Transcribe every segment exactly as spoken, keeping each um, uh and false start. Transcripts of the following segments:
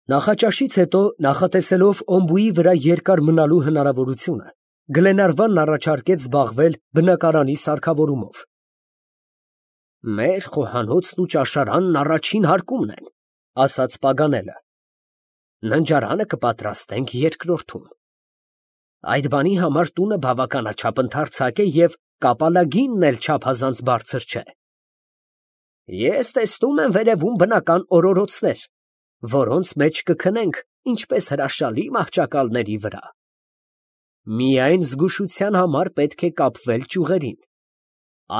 Նախաճաշից հետո, նախատեսելով օմբուի վրա երկար մնալու հնարավորությունը, Գլենարվանն առաջարկեց զբաղվել բնակարանի սարքավորումով։ «Մեր խոհանոցն ու ճաշարանն առաջին հարկումն են, ֊ ասաց Պագանելը, ֊ ննջարանը կպատրաստենք երկրորդում։ Այդ բանի համար տունը բավականաչափ ընդարձակ է և կապալագինն էլ չափազանց բարձր չէ։ Ես տեսնում եմ վերևում բնական օրորոցներ, որոնց մեջ կքնենք ինչպես հրաշալի մահճակալների վրա։ Միայն զգուշության համար պետք է կապվել ճյուղերին։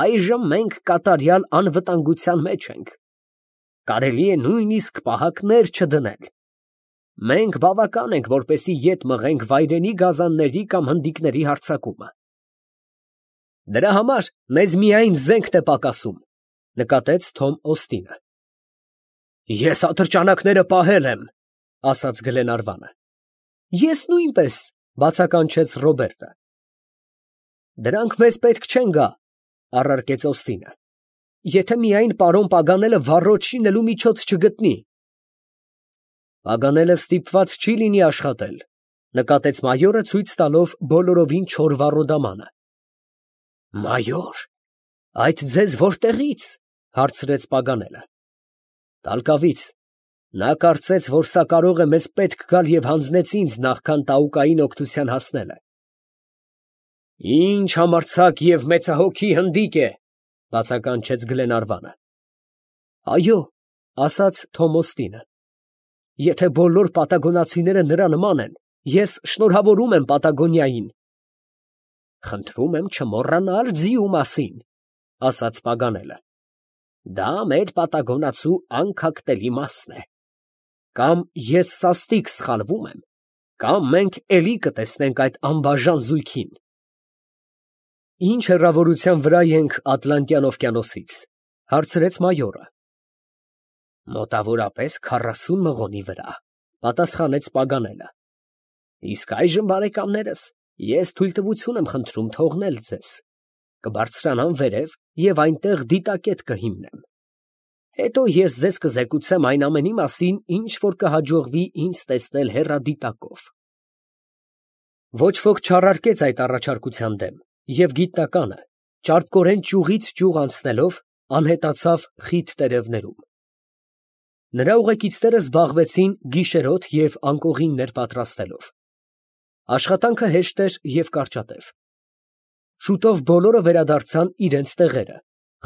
Այժմ մենք կատարյալ անվտանգության մեջ ենք. կարելի է նույնիսկ պահակներ չդնել։ Մենք բավական ենք, որպեսզի ետ մղենք վայրենի գազանների կամ հնդիկների հարձակումը։ Դրա համար մեզ միայն զենքն է պակասում, ֊ նկատեց Թոմ Օստինը։ Ես ատրճանակները պահել եմ, ֊ ասաց Գլենարվանը։ Ես նույնպես, ֊ բացականչեց Ռոբերտը։ Դրանք մեզ պետք չեն գա, ֊ առարկեց Օստինը, ֊ եթե միայն պարոն Պագանելը վառոդ շինելու միջոց չգտնի։ Պագանելը ստիպված չի լինի աշխատել, ֊ նկատեց մայորը, ցույց տալով բոլորովին չոր վառոդամանը։ Մայոր, այդ ձեզ որտեղի՞ց, ֊ հարցրեց Պագանելը։ Տալկավից։ Նա կարծեց, որ սա կարող է մեզ պետք գալ և հանձնեց ինձ, նախքան տաուկային օգնության հասնելը։ Ինչ համարձակ և մեծահոգի հնդիկ է, ֊ բացականչեց Գլենարվանը։ Այո, ֊ ասաց Թոմ Օստինը, եթե բոլոր պատագոնացիները նրա նման են, ես շնորհավորում եմ Պատագոնիային։ Խնդրում եմ չմոռանալ ձիու մասին, ֊ ասաց Պագանելը։ Դա մեր պատագոնացու անքակտելի մասն է։ Կամ ես սաստիկ սխալվում եմ, կամ մենք էլի կտեսնենք այդ անբաժան զույգին։ Ինչ հեռավորության վրա ենք Ատլանտյան օվկիանոսից, ֊ հարցրեց մայորը։ Մոտավորապես քառասուն մղոնի վրա, ֊ պատասխանեց Պագանելը։ Իսկ այժմ, բարեկամներս, ես թույլտվություն եմ խնդրում թողնել ձեզ։ Կբարձրանամ վերև և այնտեղ դիտակետ կհիմնեմ։ Հետո ես ձեզ կզեկուցեմ այն ամենի մասին, ինչ որ կհաջողվի ինձ տեսնել հեռադիտակով։ Ոչ ոք չառարկեց այդ առաջարկության դեմ, և գիտնականը, ճարպկորեն ճյուղից ճյուղ անցնելով, անհետացավ խիտ տերևներում։ Նրա ուղեկիցները զբաղվեցին գիշերոտ և անկողիններ պատրաստելով։ Աշխատանքը հեշտ էր և կարճատև։ Շուտով բոլորը վերադարձան իրենց տեղերը,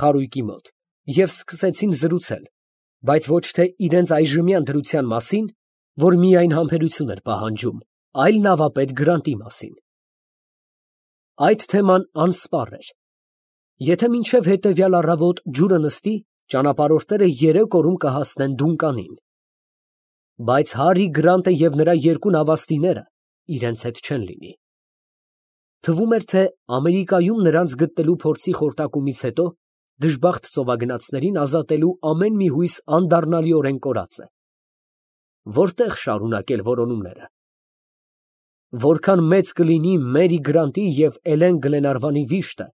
խարույկի մոտ, և սկսեցին զրուցել, բայց ոչ թե իրենց այժմյան դրության մասին, որ միայն համբերություն էր պահանջում, այլ նավապետ Գրանտի մասին։ Այդ թեման անսպառ էր։ Եթե մինչև հետևյալ առավոտ ջուրը նստի, ճանապարհորդները երեք օրում կհասնեն Դունկանին։ Բայց Հարի Գրանտը և նրա երկու նավաստիները իրենց հետ չեն լինի։ Թվում էր, թե Ամերիկայում նրանց գտնելու փորձի խորտակումից հետո դժբախտ ծովագնացներին ազատելու ամեն մի հույս անդառնալիորեն կորած է։ Որտե՞ղ շարունակել որոնումները։ Որքան մեծ կլինի Մերի Գրանտի և Էլեն Գլենարվանի վիշտը,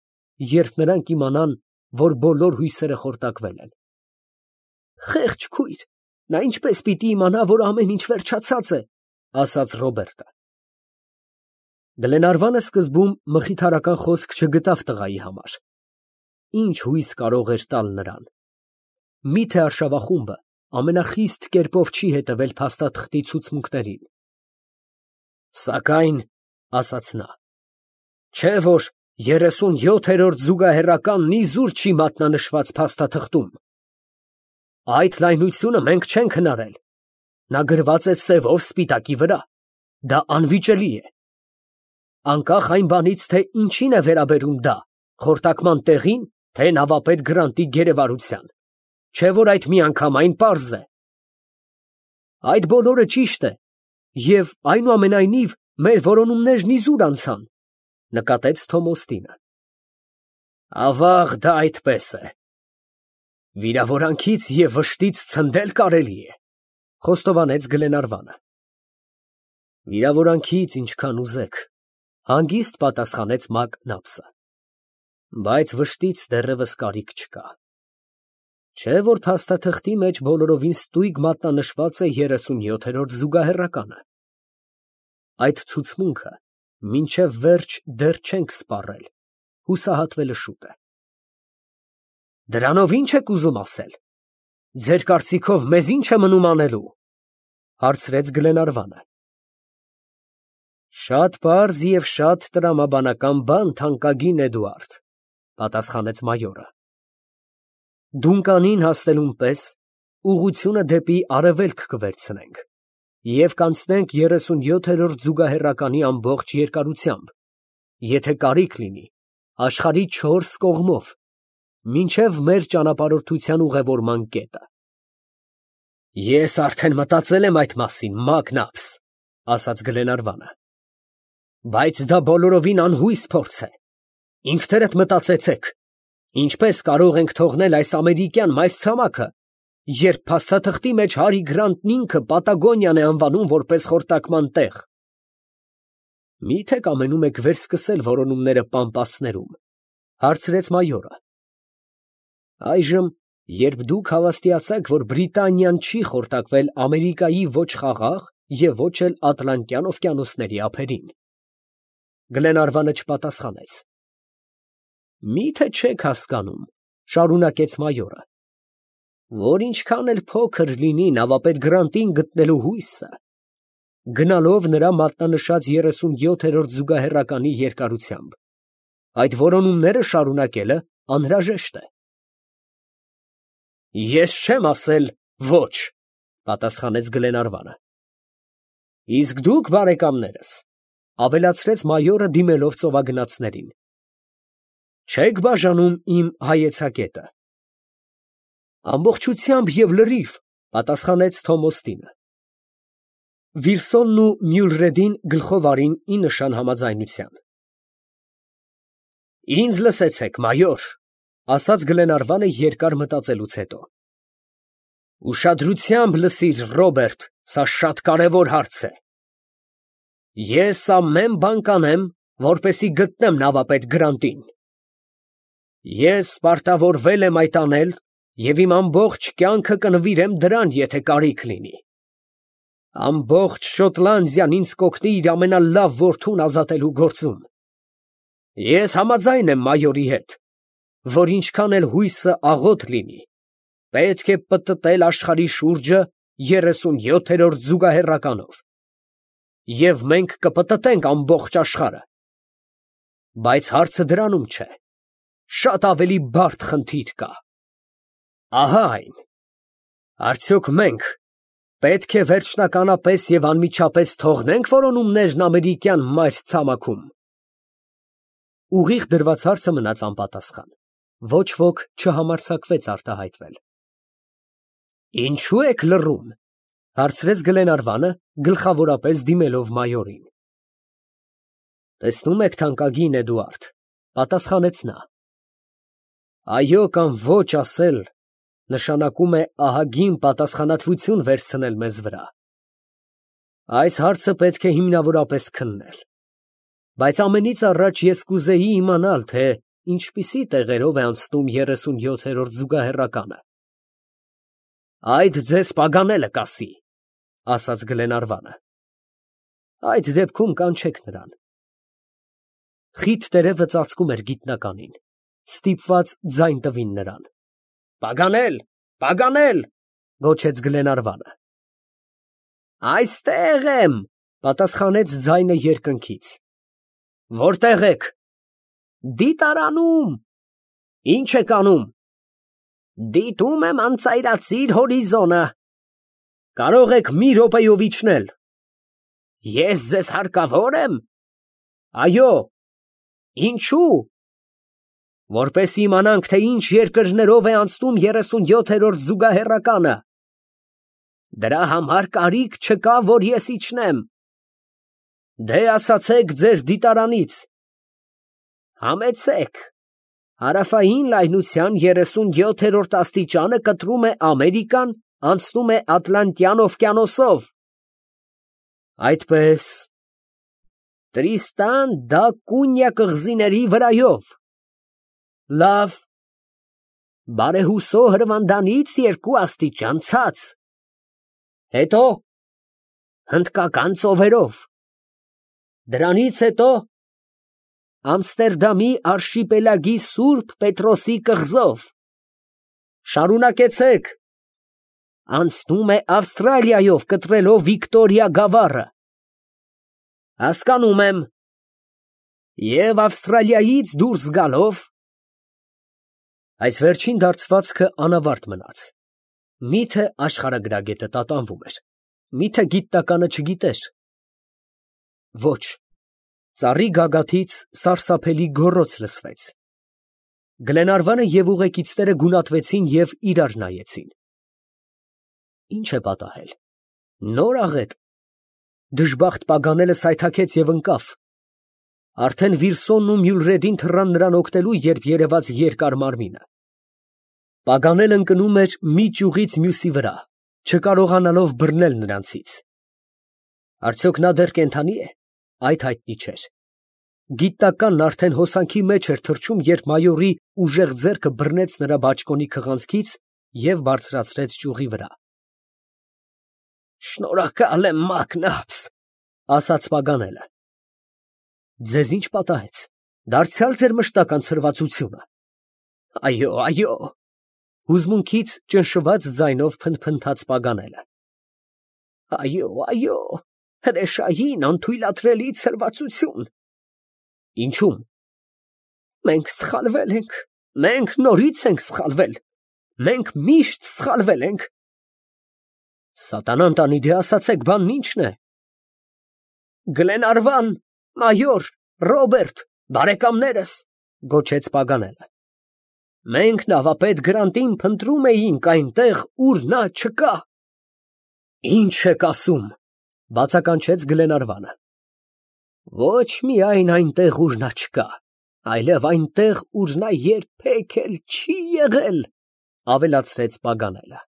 երբ նրանք իմանան, որ բոլոր հույսերը խորտակվել են։ Խեղճ քույր, նա ինչպես պիտի իմանա, որ ամեն ինչ վերջացած է, ֊ ասաց Ռոբերտը։ Գլենարվանը սկզբում մխիթարական խոսք չգտավ տղայի համար։ Ինչ հույս կարող էր տալ նրան։ Միթե արշավախումբը ամենախիստ կերպով չի հետևել փաստաթղթի ցուցմունքներին։ Սակայն, ֊ ասաց նա, ֊ չէ՞ որ երեսունյոթերորդ զուգահեռականն իզուր չի մատնանշված փաստաթղթում։ Այդ լայնությունը մենք չենք հնարել։ Նա գրված է սևով սպիտակի վրա։ Դա անվիճելի է։ Անկախ այն բանից, թե ինչին է վերաբերում դա, խորտակման տեղին, թե նավապետ Գրանտի գերեվարության, չէ՞ որ այդ միանգամայն պարզ է։ Այդ բոլորը ճիշտ է, և այնուամենայնիվ մեր որոնումներն իզուր անցան, ֊ նկատեց Թոմ Օստինը։ Ավաղ, դա այդպես է։ Վիրավորանքից և վշտից ցնդել կարելի է, ֊ խոստովանեց Գլենարվանը։ Վիրավորանքից ինչքան ուզեք, ֊ հանգիստ պատասխանեց Մակնաբսը, բայց վշտից դեռևս կարիք չկա։ Չէ՞ որ փաստաթղթի մեջ բոլորովին ստույգ մատնանշված է երեսունյոթերորդ զուգահեռականը։ Այդ ցուցմունքը մինչև վերջ դեռ չենք սպառել, հուսահատվելը շուտ է։ Դրանով ի՞նչ եք ուզում ասել։ Ձեր կարծիքով մեզ ի՞նչ է մնում անելու, հարցրեց Գլենարվանը։ Շատ պարզ և շատ տրամաբանական բան, թանկագին Էդուարդ, պատասխանեց մայորը։ Դունկանին հասնելուն պես ուղղությունը դեպի արևելք կվերցնենք և կանցնենք երեսունյոթերորդ զուգահեռականի ամբողջ երկարությամբ, եթե կարիք լինի, աշխարհի չորս կողմով, մինչև մեր ճանապարհորդության ուղևորման կետը։ Ես արդեն մտածել եմ այդ մասին, մագնապս, ասաց Գլենարվանը, բայց դա բոլորովին անհույս փորձ է։ Ինքներդ մտածեցեք, ինչպես կարող ենք թողնել այս ամերիկյան մայրցամաքը, երբ փաստաթղթի մեջ Հարի Գրանտն ինքը Պատագոնիան է անվանում որպես խորտակման տեղ։ Մի՞թե կամենում եք վերսկսել որոնումները Պամպասներում, հարցրեց մայորը։ Այժմ, երբ դուք հավաստիացաք, որ Բրիտանիան չի խորտակվել Ամերիկայի ոչ Խաղաղ և ոչ էլ Ատլանտյան օվկիանոսների ափերին։ Գլենարվանը չպատասխանեց։ Մի՞թե չեք հասկանում, շարունակեց մայորը, որ ինչքան էլ փոքր լինի նավապետ Գրանտին գտնելու հույսը, գնալով նրա մատնանշած երեսունյոթերորդ զուգահեռականի երկարությամբ, այդ որոնումները շարունակելը անհրաժեշտ է։ Ես չեմ ասել ոչ, պատասխանեց Գլենարվանը։ Իսկ դուք, բարեկամներս, ավելացրեց մայորը դիմելով ծովագնացներին, չեք բաժանում իմ հայեցակետը։ Ամբողջությամբ և լրիվ, պատասխանեց Թոմոստինը։ Վիլսոնն ու Մյուլրեդին գլխով արին ի նշան համաձայնության։ Ինձ լսեցեք, մայոր, ասաց Գլենարվանը երկար մտածելուց հետո։ Ուշադրությամբ լսիր, Ռոբերտ, սա շատ կարևոր հարց է։ Ես ամեն բան կանեմ, որպեսզի գտնեմ նավապետ Գրանտին։ Ես պարտավորվել եմ այդ անել և իմ ամբողջ կյանքը կնվիրեմ դրան, եթե կարիք լինի։ Ամբողջ Շոտլանդիան ինձ կօգնի իր ամենալավ որդուն ազատելու գործում։ Ես համաձայն եմ մայորի հետ, որ ինչքան էլ հույսը աղոտ լինի, պետք է պտտել աշխարհի շուրջը երեսունյոթերորդ զուգահեռականով, և մենք կպտտենք ամբողջ աշխարհը։ Բայց հարցը դրանում չէ, շատ ավելի բարդ խնդիր կա։ Ահա այն. արդյոք մենք պետք է վերջնականապես և անմիջապես թողնե՞նք որոնումներն ամերիկյան մայրցամաքում։ Ուղիղ դրված հարցը մնաց անպատասխան, ոչ ոք չհամարձակվեց արտահայտվել։ Ինչո՞ւ եք լռում, հարցրեց Գլենարվանը, գլխավորապես դիմելով մայորին։ Տեսնում եք, թանկագին Էդուարդ, պատասխանեց նա, այո կամ ոչ ասել նշանակում է ահագին պատասխանատվություն վերցնել մեզ վրա։ Այս հարցը պետք է հիմնավորապես քննել, բայց ամենից առաջ ես կուզեի իմանալ, թե ինչպիսի տեղերով է անցնում երեսունյոթերորդ զուգահեռականը։ Այդ ձեզ պագանելը կասի, ասաց Գլենարվանը։ Այդ դեպքում կանչեք նրան։ Խիտ տերևը ծածկում էր գիտնականին, ստիպված ձայն տվին նրան։ Պագանել, պագանել, գոչեց Գլենարվանը։ Այստեղ եմ, պատասխանեց ձայնը երկնքից։ Որտե՞ղ եք։ Դիտարանում։ Ի՞նչ եք անում։ Դիտում եմ անծայրածիր հորիզոնը։ Կարող եք մի րոպեով իջնել։ Ես ձեզ հարկավոր եմ։ Այո։ Ինչու։ Որպես իմանանք, թե ինչ երկրներով է անցնում երեսունյոթերորդ զուգահեռականը։ Դրա համար կարիք չկա, որ ես իջնեմ։ Դե ասացեք ձեր դիտարանից։ Համեցեք։ Հարավային լայնության երեսունյոթերորդ աստիճանը կտրում է Ամերիկան, անցնում է Ատլանտյան օվկիանոսով։ Այդպես։ Տրիստան դա Կունյա կղզիների վրայով։ Լավ։ բարեհուսո հրվանդանից երկու աստիճան ցած, հետո հնդկական ծովերով, դրանից հետո Ամստերդամի արշիպելագի Սուրբ Պետրոսի կղզով, շարունակեցեք, անցնում է Ավստրալիայով կտրելով Վիկտորիա գավառը, հասկանում եմ, և Ավստրալիայից դուրս գալով, այս վերջին դարձվածքը անավարտ մնաց, միթե աշխարհագրագետը տատանվում էր, միթե գիտնականը չգիտեր, ոչ, ծառի գագաթից սարսափելի գոռոց լսվեց, Գլենարվանը և ուղեկիցները գունատվեցին և իրար նայեցին, ինչ է պատահել, նոր աղետ, դժբախտ Պագանելը սայթաքեց և ընկավ, արդեն Վիրսոնն ու Մյուլրեդին թռան նրան օգնելու, երբ երևաց երկար մարմինը, Պագանելն ընկնում էր մի ճյուղից մյուսի վրա, չկարողանալով բռնել նրանցից, արդյոք նա դեռ կենդանի է, այդ հայտնի չէր, գիտնականն արդեն հոսանքի մեջ էր թռչում, երբ մայորի ուժեղ ձեռքը բռնեց նրա բաճկոնի քղանցքից և բարձրացրեց ճյուղի վրա։ Շնորհակալ եմ, Մակնաբս, ասաց Պագանելը։ Ձեզ ինչ պատահեց, դարձյալ ձեր մշտական ցրվածությունը։ Այո, այո, հուզմունքից ճնշված ձայնով փնթփնթաց Պագանելը։ Այո, այո, հրեշային անթույլատրելի ցրվածություն։ Ինչու՞մ։ Մենք սխալվել ենք, մենք նորից ենք սխալվել, մենք միշտ սխալվել ենք։ Սատանան տանի, դե ասացեք, բանն ի՞նչն է։ Գլենարվան, մայոր, Ռոբերտ, բարեկամներս, գոչեց Պագանելը։ Մենք նավապետ Գրանտին փնտրում էինք այնտեղ, ուր նա չկա։ Ինչ եք ասում, բացականչեց Գլենարվանը։ Ոչ միայն այնտեղ, ուր նա չկա, այլև այնտեղ, ուր նա երբեք էլ չի եղել, ավելացրեց Պագանելը։